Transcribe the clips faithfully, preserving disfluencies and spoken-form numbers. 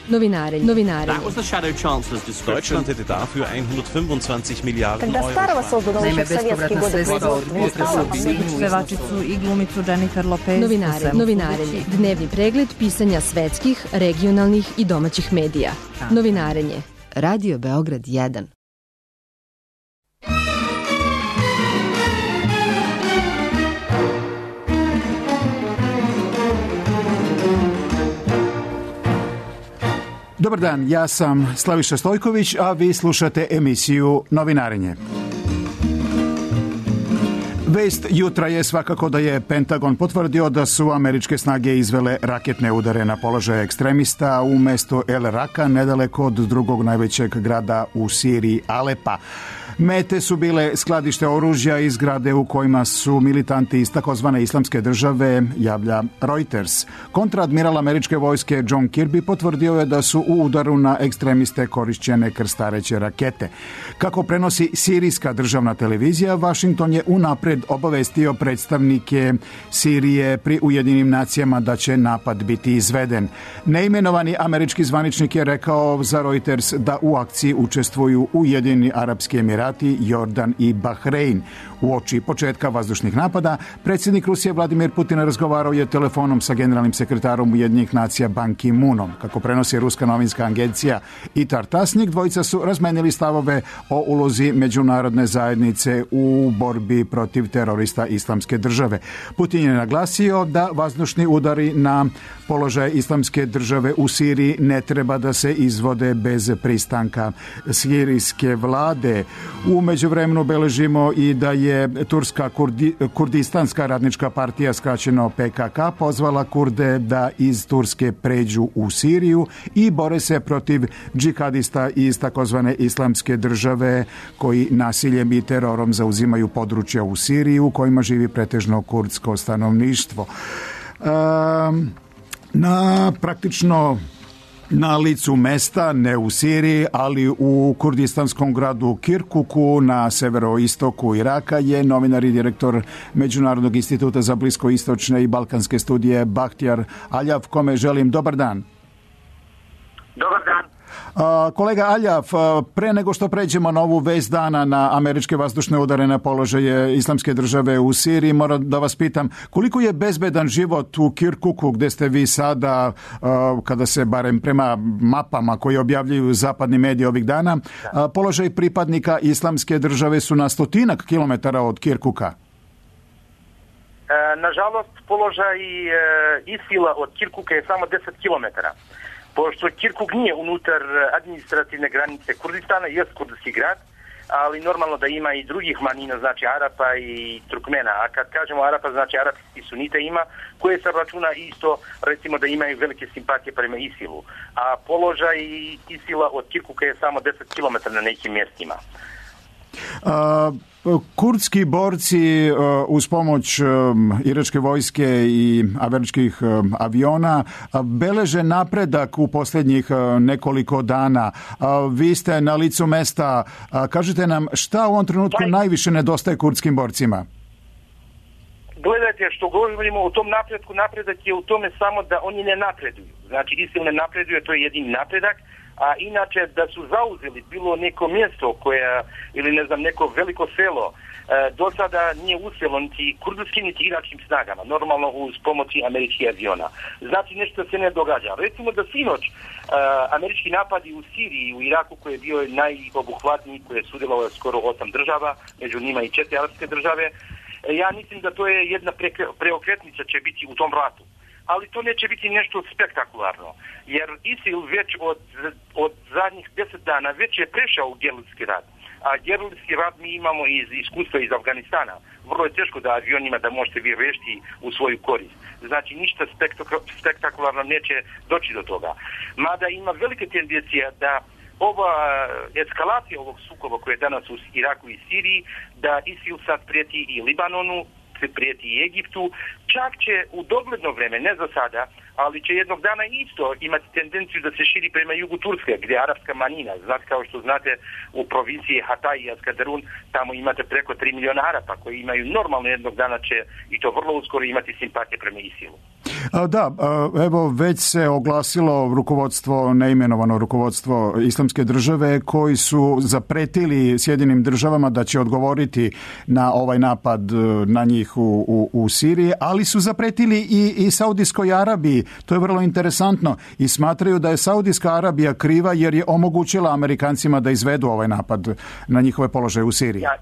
Novinarenje. Novinarenje. That was the Shadow Chancellor's description. Deutschland hätte dafür hundertfünfundzwanzig Miliarden Когда старого создано Naime, еще в советские годы производства. Pevačicu i glumicu Jennifer Lopez. Novinarenje. Novinarenje. Dnevni pregled pisanja svetskih, regionalnih i domaćih medija. Novinarenje. Radio Beograd jedan. Dobar dan, ja sam Slaviša Stojković, a vi slušate emisiju Novinarenje. Vest jutra je svakako da je Pentagon potvrdio da su američke snage izvele raketne udare na položaje ekstremista u mestu El Raka, nedaleko od drugog najvećeg grada u Siriji, Alepa. Mete su bile skladište oružja i zgrade u kojima su militanti iz takozvane islamske države, javlja Reuters. Kontraadmiral američke vojske John Kirby potvrdio je da su u udaru na ekstremiste korišćene krstareće rakete. Kako prenosi sirijska državna televizija, Washington je unapred obavestio predstavnike Sirije pri Ujedinjenim nacijama da će napad biti izveden. Neimenovani američki zvaničnik je rekao za Reuters da u akciji učestvuju Ujedinjeni Arapski Emirati, Jordan i Bahrein. U oči početka vazdušnih napada, predsjednik Rusije Vladimir Putin razgovarao je telefonom sa generalnim sekretarom Ujedinjenih nacija Ban Ki-moonom. Kako prenosi ruska novinska agencija I T A R Tasnik, dvojica su razmenili stavove o ulozi međunarodne zajednice u borbi protiv terorista Islamske države. Putin je naglasio da vazdušni udari na položaje Islamske države u Siriji ne treba da se izvode bez pristanka sirijske vlade. U međuvremenu beležimo i da je Turska Kurdi, Kurdistanska radnička partija, skraćeno P K K, pozvala Kurde da iz Turske pređu u Siriju i bore se protiv džihadista iz takozvane Islamske države koji nasiljem i terorom zauzimaju područja u Siriji u kojima živi pretežno kurdsko stanovništvo. Um, na praktično na licu mesta, ne u Siriji, ali u kurdistanskom gradu Kirkuku na severoistoku Iraka je novinar i direktor Međunarodnog instituta za bliskoistočne i balkanske studije Bahtjar Aljav, kome želim dobar dan. Dobar dan. Kolega Aljav, pre nego što pređemo na ovu vest dana na američke vazdušne udare na položaje Islamske države u Siriji, moram da vas pitam koliko je bezbedan život u Kirkuku gde ste vi sada, kada se barem prema mapama koje objavljuju zapadni mediji ovih dana, položaj pripadnika Islamske države su na stotinak kilometara od Kirkuka. Nažalost, položaj ISIL-a od Kirkuka je samo deset kilometara. Pošto Kirkuk nije unutar administrativne granice Kurdistana, jest kurdski grad, ali normalno da ima i drugih manjina, znači Arapa i Turkmena. A kad kažemo Arapa, znači arapski sunita ima, koje se računa isto, recimo da imaju velike simpatije prema ISIL-u. A položaj ISIL-a od Kirkuka je samo deset kilometara na nekim mjestima. A, kurdski borci uz pomoć iračke vojske i američkih aviona beleže napredak u posljednjih nekoliko dana. Vi ste na licu mesta. Kažite nam šta u ovom trenutku najviše nedostaje kurdskim borcima? Gledajte, što govorimo o tom napredku, napredak je u tome samo da oni ne napreduju. Znači, ISIL ne napreduje, to je jedini napredak. A inače da su zauzeli bilo neko mjesto koje, ili ne znam, neko veliko selo, e, do sada nije uspjelo niti kurdskim niti iračkim snagama, normalno uz pomoći američkih aviona. Znači nešto se ne događa. Recimo da sinoć e, američki napadi u Siriji i u Iraku koji je bio najobuhvatniji, koji je sudjelovao skoro osam država, među njima i četiri arapske države, e, ja mislim da to je jedna pre, preokretnica će biti u tom ratu. Ali to neće biti nešto spektakularno, jer ISIL već od, od zadnjih deset dana već je prešao u gerilski rat. A gerilski rat mi imamo iz iskustva iz Afganistana. Vrlo je teško da avionima da možete vi rešiti u svoju korist. Znači ništa spektakularno neće doći do toga. Mada ima velike tendencije da ova eskalacija ovog sukoba koje je danas u Iraku i Siriji, da ISIL sad prijeti i Libanonu, se prijeti i Egiptu, čak će u dogledno vreme, ne za sada, ali će jednog dana isto imati tendenciju da se širi prema jugu Turske, gdje je arapska manjina. Znate, kao što znate, u provinciji Hatay i Askarun, tamo imate preko tri miliona Arapa koji imaju normalno jednog dana će, i to vrlo uskoro, imati simpatije prema ISIL-u. Da, evo već se oglasilo rukovodstvo, neimenovano rukovodstvo Islamske države, koji su zapretili Sjedinim državama da će odgovoriti na ovaj napad na njih u, u, u Siriji, ali su zapretili i, i Saudijskoj Arabiji. To je vrlo interesantno i smatraju da je Saudijska Arabija kriva jer je omogućila Amerikancima da izvedu ovaj napad na njihove položaje u Siriji. Ja,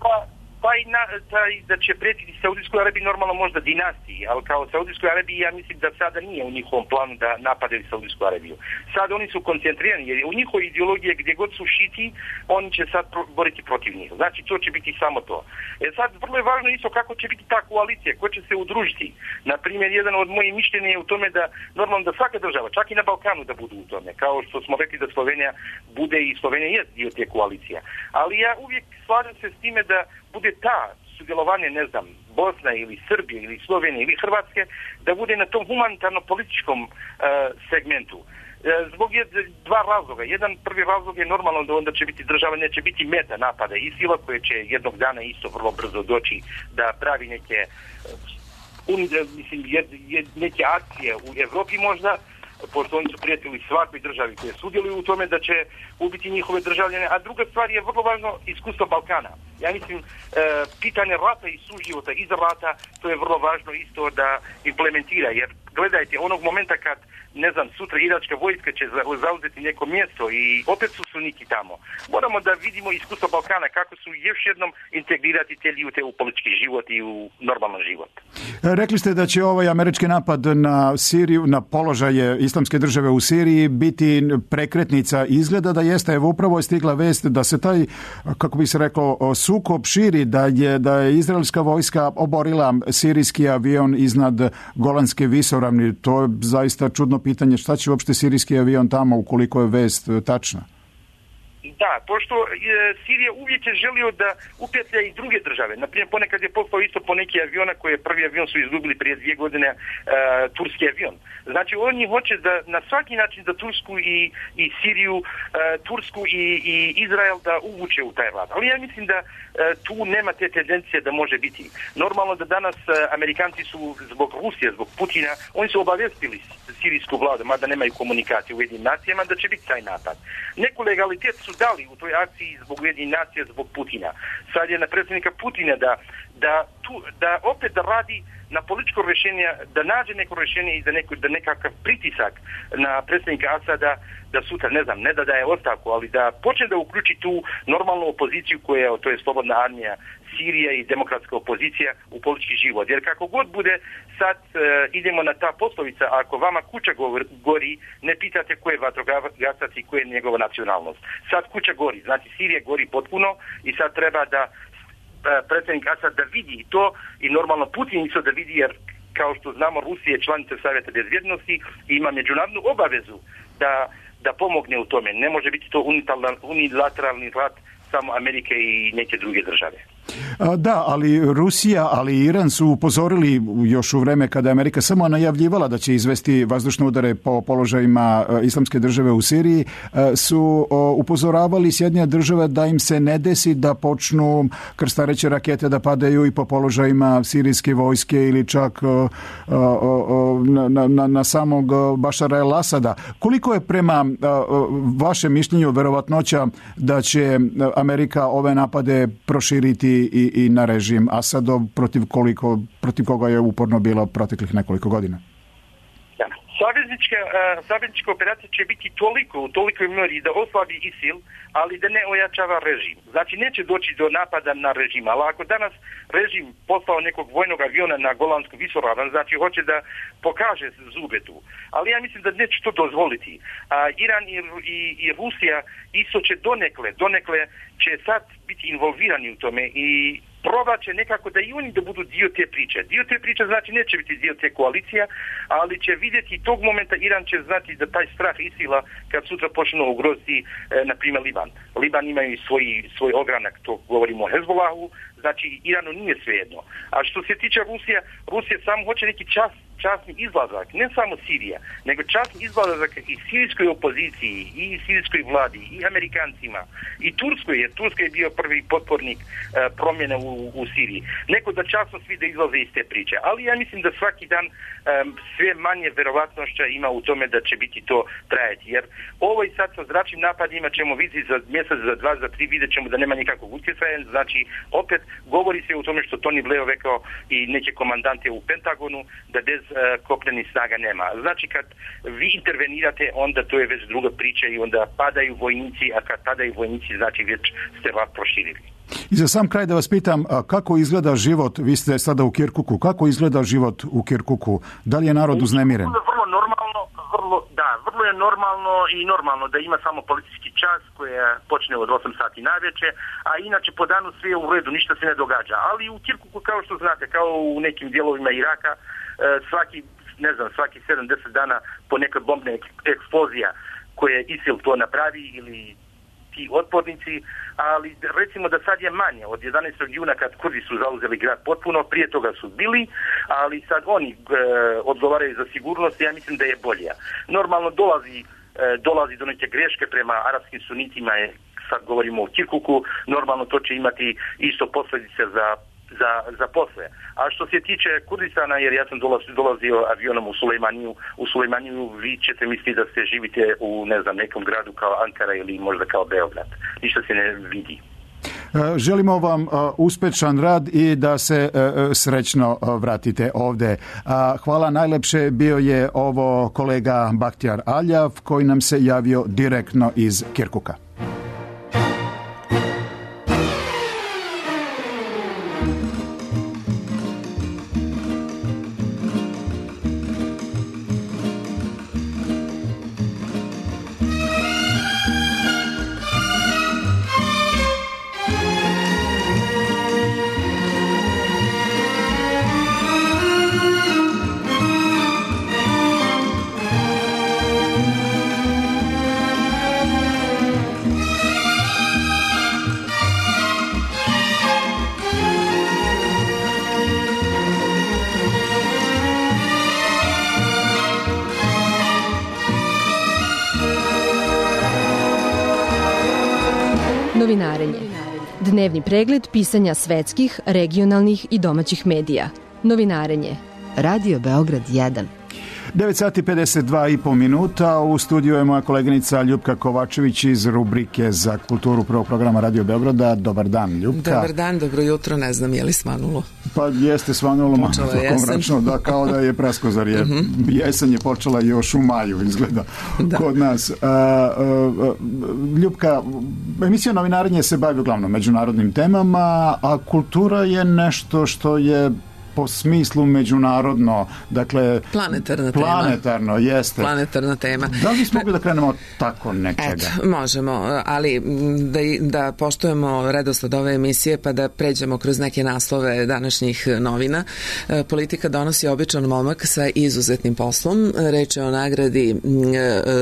pa... Taj, na, taj da će pretiti Saudijskoj Arabiji normalno možda dinastiji, ali kao Saudijskoj Arabiji ja mislim da sada nije u njihovom planu da napadaju Saudijsku Arabiju. Sad oni su koncentrirani jer u njihovoj ideologiji gdje god su šiti, oni će sad pro, boriti protiv njih. Znači to će biti samo to. E sad vrlo je važno isto kako će biti ta koalicija, ko će se udružiti. Naprimjer, jedan od mojih mišljenja je u tome da normalno da svaka država, čak i na Balkanu da budu u tome. Kao što smo rekli da Slovenija bude i Slovenija je dio te koalicija. Ali ja uvijek slažem se s time da bude ta sudjelovanje, ne znam, Bosna ili Srbije ili Slovenije ili Hrvatske, da bude na tom humanitarno-političkom uh, segmentu. Uh, zbog je dva razloga. Jedan prvi razlog je normalno da onda će biti država, neće biti meta napada ISIL-a koje će jednog dana isto vrlo brzo doći da pravi neke, uh, un, mislim, jed, jed, neke akcije u Evropi možda, pošto oni su prijatelji svakoj državi koje sudjeluju u tome da će ubiti njihove državljane, a druga stvar je vrlo važno iskustvo Balkana. Ja mislim, e, pitanje rata i suživota iza rata, to je vrlo važno isto da implementira, jer gledajte, onog momenta kad, ne znam, sutra iračka vojska će zauzeti neko mjesto i opet su suniti tamo. Moramo da vidimo iskustvo Balkana, kako su još jednom integrirati te ljude u politički život i u normalan život. Rekli ste da će ovaj američki napad na Siriju, na položaje Islamske države u Siriji biti prekretnica. Izgleda da jeste, evo upravo je stigla vest da se taj, kako bi se rekao, sukob širi, da je, da je izraelska vojska oborila sirijski avion iznad Golanske visoravni. To je zaista čudno pitanje, šta će uopšte sirijski avion tamo ukoliko je vest tačna? Da, pošto e, Sirija uvijek je želio da upetlja i druge države. Naprimjer, ponekad je poslao isto po neki aviona koje prvi avion su izgubili prije dvije godine, e, turski avion. Znači, oni hoće da na svaki način da Tursku i, i Siriju, e, Tursku i, i Izrael da uvuče u taj rat. Ali ja mislim da e, tu nema te tendencije da može biti. Normalno da danas e, Amerikanci su zbog Rusije, zbog Putina, oni su obavestili sirijsku vladu, mada nemaju komunikacije u Ujedinjenim nacijama, da će biti taj napad. Neku legalitet su dali u toj akciji zbog Ujedinjenih nacija, zbog Putina. Sad je na predsjednika Putina da, da, tu, da opet da radi na političko rješenje, da nađe neko rješenje i da, neko, da nekakav pritisak na predsjednika Asada da sutra, ne znam, ne da daje ostavku, ali da počne da uključi tu normalnu opoziciju koja, to je Slobodna armija Sirija i demokratska opozicija u politički život. Jer kako god bude, sad e, idemo na ta poslovica, ako vama kuća gori, ne pitate ko je vatrogasac i ko je njegova nacionalnost. Sad kuća gori, znači Sirija gori potpuno i sad treba da predsjednik Asad da vidi to i normalno Putin isto da vidi, jer kao što znamo Rusija je članica Savjeta bezbjednosti i ima međunarodnu obavezu da, da pomogne u tome. Ne može biti to unilateralni rat samo Amerike i neke druge države. Da, ali Rusija, ali i Iran su upozorili još u vreme kada je Amerika samo najavljivala da će izvesti vazdušne udare po položajima Islamske države u Siriji, su upozoravali Sjedinjene države da im se ne desi da počnu krstareće rakete da padaju i po položajima sirijske vojske ili čak na, na, na samog Bašara el-Asada. Koliko je prema vašem mišljenju verovatnoća da će Amerika ove napade proširiti i, i na režim Asadov, protiv koliko, protiv koga je uporno bilo proteklih nekoliko godina? Da. Saveznička, uh, saveznička operacija će biti toliko, u tolikoj mjeri da oslabi ISIL, ali da ne ojačava režim. Znači, neće doći do napada na režim, ali ako danas režim poslao nekog vojnog aviona na Golansku visoravan, znači hoće da pokaže zube tu. Ali ja mislim da neće to dozvoliti. A Iran i, i, i Rusija isto će donekle, donekle će sad biti involvirani u tome i probat će nekako da i oni da budu dio te priče. Dio te priče znači neće biti dio te koalicija, ali će vidjeti tog momenta Iran će znati da taj strah ISIL-a kad sutra počne ugroziti, e, na primjer, Liban. Liban imaju svoj, svoj ogranak, to govorimo o Hezbollahu, znači Iranu nije svejedno. A što se tiče Rusije, Rusija samo hoće neki čas, časni izlazak, ne samo Sirija, nego časni izlazak i sirijskoj opoziciji, i sirijskoj vladi, i Amerikancima, i Turskoj, jer Turska je bio prvi potpornik uh, promjena u, u Siriji. Neko da časno svi da izlaze iz te priče, ali ja mislim da svaki dan um, sve manje verovatnošća ima u tome da će biti to trajati, jer ovo i sad sa zračnim napadima ćemo vidjeti za mjesec, za dva, za tri, vidjet ćemo da nema nikakvog utjecaja, znači opet govori se o tome što Tony Blair rekao i neke komandante u Pentagonu, da bez uh, kopnenih snaga nema. Znači kad vi intervenirate, onda to je već druga priča i onda padaju vojnici, a kad padaju vojnici, znači već ste vas proširili. I za sam kraj da vas pitam, kako izgleda život, vi ste sada u Kirkuku, kako izgleda život u Kirkuku? Da li je narod uznemiren? Vrlo normalno, vrlo, da, vrlo je normalno i normalno da ima samo policijski čas koja počne od osam sati navečer, a inače po danu sve je u redu, ništa se ne događa. Ali u Kirkuku, kao što znate, kao u nekim dijelovima Iraka, svaki, ne znam, svaki sedam do deset dana po neka bombna eksplozija koje ISIL to napravi ili ti otpornici, ali recimo da sad je manje, od jedanaestog juna kad Kurdi su zauzeli grad potpuno, prije toga su bili, ali sad oni e, odgovaraju za sigurnost i ja mislim da je bolje. Normalno dolazi, e, dolazi do neke greške prema arapskim sunitima, je, sad govorimo o Kirkuku, normalno to će imati isto posljedice za za, za posle. A što se tiče Kurdistana, jer ja sam dolazio, dolazio avionom u Sulejmaniju, u Sulejmaniju vi ćete misliti da ste živite u, ne znam, nekom gradu kao Ankara ili možda kao Beograd. Ništa se ne vidi. Želimo vam uspešan rad i da se srećno vratite ovde. Hvala najlepše, bio je ovo kolega Bahtjar Aljav koji nam se javio direktno iz Kirkuka. Novinarenje. Dnevni pregled pisanja svetskih, regionalnih i domaćih medija. Novinarenje. Radio Beograd jedan. devet sati pedeset dva i po minuta. U studiju je moja koleginica Ljupka Kovačević iz rubrike za kulturu prvog programa Radio Beograda. Dobar dan, Ljupka. Dobar dan, dobro jutro, ne znam je li svanulo. Pa jeste svanulo malo mračno, da, kao da je preskozar. Je. Uh-huh. Jesen je počela još u maju, izgleda, da. Kod nas. A, a, Ljupka, emisija Novinarenje se bavi uglavnom međunarodnim temama, a kultura je nešto što je po smislu međunarodno, dakle planetarna planetarno, tema. Jeste. Planetarna tema. Da li smo mogli da krenemo od tako nečega? Eto, možemo, ali da, da poštujemo redosled ove emisije pa da pređemo kroz neke naslove današnjih novina. Politika donosi običan momak sa izuzetnim poslom. Reč je o nagradi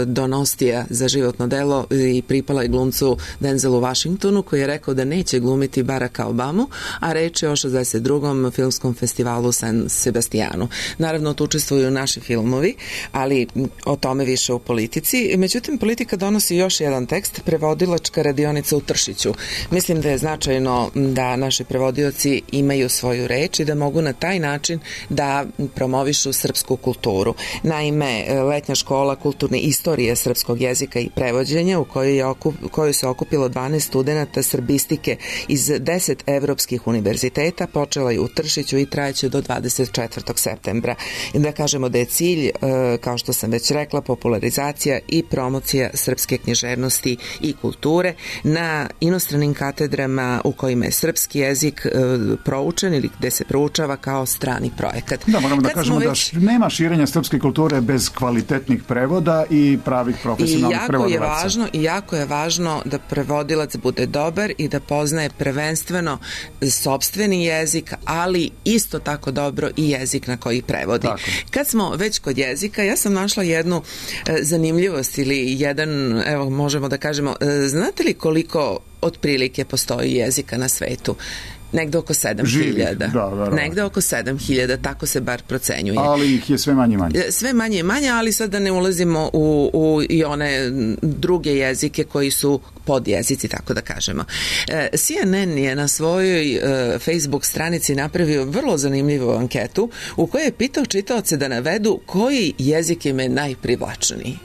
Donostija za životno delo i pripala je glumcu Denzelu Washingtonu koji je rekao da neće glumiti Baracka Obamu, a reč je o šezdeset drugom filmskom festivalu festivalu San Sebastijanu. Naravno, tu učestvuju naši filmovi, ali o tome više u politici. Međutim, politika donosi još jedan tekst, prevodilačka radionica u Tršiću. Mislim da je značajno da naši prevodioci imaju svoju reč i da mogu na taj način da promovišu srpsku kulturu. Naime, letnja škola kulturne istorije srpskog jezika i prevođenja u kojoj, je okup, kojoj se okupilo dvanaest studenata srbistike iz deset evropskih univerziteta počela je u Tršiću i trajeće do dvadeset četvrtog septembra. I da kažemo da je cilj, kao što sam već rekla, popularizacija i promocija srpske književnosti i kulture na inostranim katedrama u kojima je srpski jezik proučen ili gde se proučava kao strani projekat. Da, moramo da Kad kažemo već... da nema širenja srpske kulture bez kvalitetnih prevoda i pravih profesionalnih prevodilaca. I jako je važno, i jako je važno da prevodilac bude dobar i da poznaje prvenstveno sopstveni jezik, ali isto tako dobro i jezik na koji prevodi. Tako. Kad smo već kod jezika, ja sam našla jednu e, zanimljivost ili jedan, evo možemo da kažemo, e, znate li koliko otprilike postoji jezika na svetu? negde oko sedam hiljada. Da, da, da. Negde oko sedam hiljada, tako se bar procenjuje. Ali ih je sve manje i manje. Sve manje i manje, ali sad da ne ulazimo u, u i one druge jezike koji su podjezici, tako da kažemo. C N N je na svojoj Facebook stranici napravio vrlo zanimljivu anketu u kojoj je pitao čitaoce da navedu koji jezik im je najprivlačniji.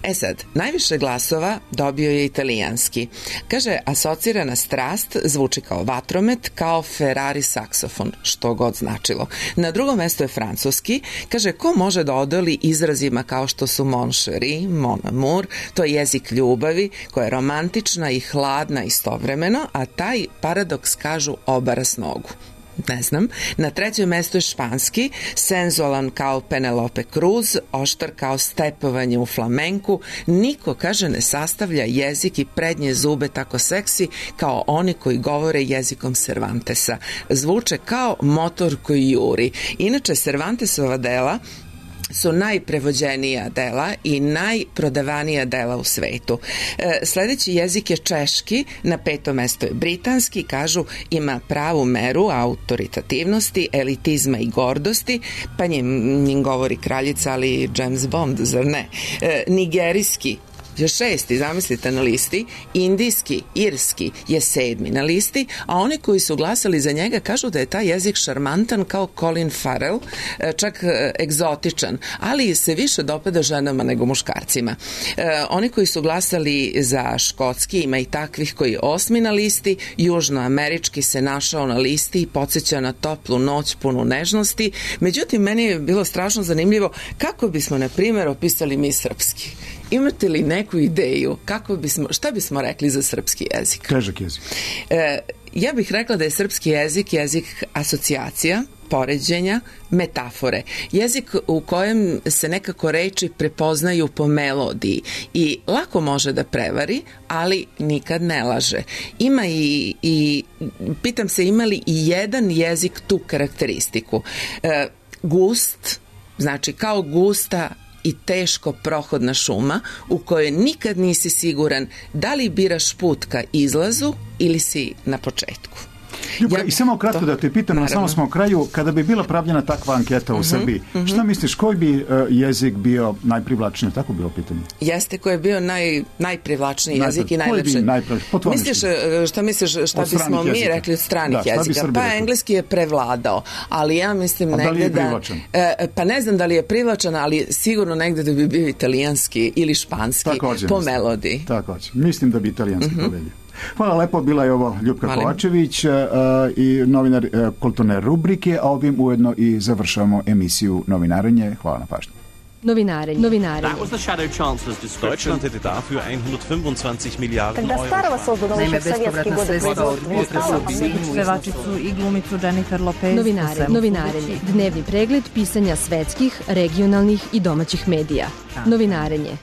E sad, najviše glasova dobio je italijanski. Kaže, asocirana strast zvuči kao vatromet, kao Ferrari saksofon, što god značilo. Na drugom mestu je francuski. Kaže, ko može da odoli izrazima kao što su mon chéri, mon amour, to je jezik ljubavi, koja je romantična i hladna istovremeno, a taj paradoks kažu obara s nogu. Ne znam. Na trećem mestu je španski, senzualan kao Penelope Cruz, oštar kao stepovanje u flamenku. Niko, kaže, ne sastavlja jezik i prednje zube tako seksi kao oni koji govore jezikom Cervantesa. Zvuče kao motor koji juri. Inače, Cervantesova dela su najprevođenija dela i najprodavanija dela u svetu. E, sledeći jezik je češki, na petom mestu je britanski, kažu ima pravu meru autoritativnosti, elitizma i gordosti, pa njim, njim govori kraljica, ali James Bond, zar ne? E, nigerijski je šesti, zamislite, na listi, indijski, irski je sedmi na listi, a oni koji su glasali za njega kažu da je taj jezik šarmantan kao Colin Farrell, čak egzotičan, ali se više dopada ženama nego muškarcima. E, oni koji su glasali za škotski, ima i takvih koji je osmi na listi, južnoamerički se našao na listi i podsjeća na toplu noć punu nežnosti. Međutim, meni je bilo strašno zanimljivo kako bismo, na primjer, opisali mi srpski. Imate li neku ideju kako bismo, šta bismo rekli za srpski jezik? Težak jezik. E, ja bih rekla da je srpski jezik jezik asocijacija, poređenja, metafore. Jezik u kojem se nekako reči prepoznaju po melodiji i lako može da prevari, ali nikad ne laže. Ima i, i pitam se, ima li i jedan jezik tu karakteristiku? E, gust, znači kao gusta i teško prohodna šuma u kojoj nikad nisi siguran da li biraš put ka izlazu ili si na početku. Ljubka, ja, i samo kratko to, da te pitam, naravno. Samo smo u kraju, kada bi bila pravljena takva anketa u uh-huh, Srbiji, uh-huh. šta misliš, koji bi uh, jezik bio najprivlačniji? Tako bilo pitanje. Jeste, koji je bio naj, najprivlačniji Najpre, jezik i najlepši. Misliš, šta misliš, šta bismo mi jezika. rekli od stranih da, jezika? Pa rekli? Engleski je prevladao, ali ja mislim A negde da... li je privlačan? da pa ne znam da li je privlačan, ali sigurno negde da bi bio italijanski ili španski Također, po mislim. melodiji. Također. Mislim da bi italijanski uh-huh. pobedio. Hvala lepo, bila je ovo Ljupka Malim. Kovačević uh, i novinar uh, kulturne rubrike, a ovim ujedno i završavamo emisiju Novinarenje. Hvala na pažnju. Novinarenje. Novinarenje. That was the Shadow Chancellor's description. Deutschland hätte dafür hundertfünfundzwanzig Milliarden Когда старого создано еще в советские годы производства, pevačicu i glumicu Jennifer Lopez. Novinarenje. Novinarenje. Dnevni pregled pisanja svetskih, regionalnih i domaćih medija. Novinarenje.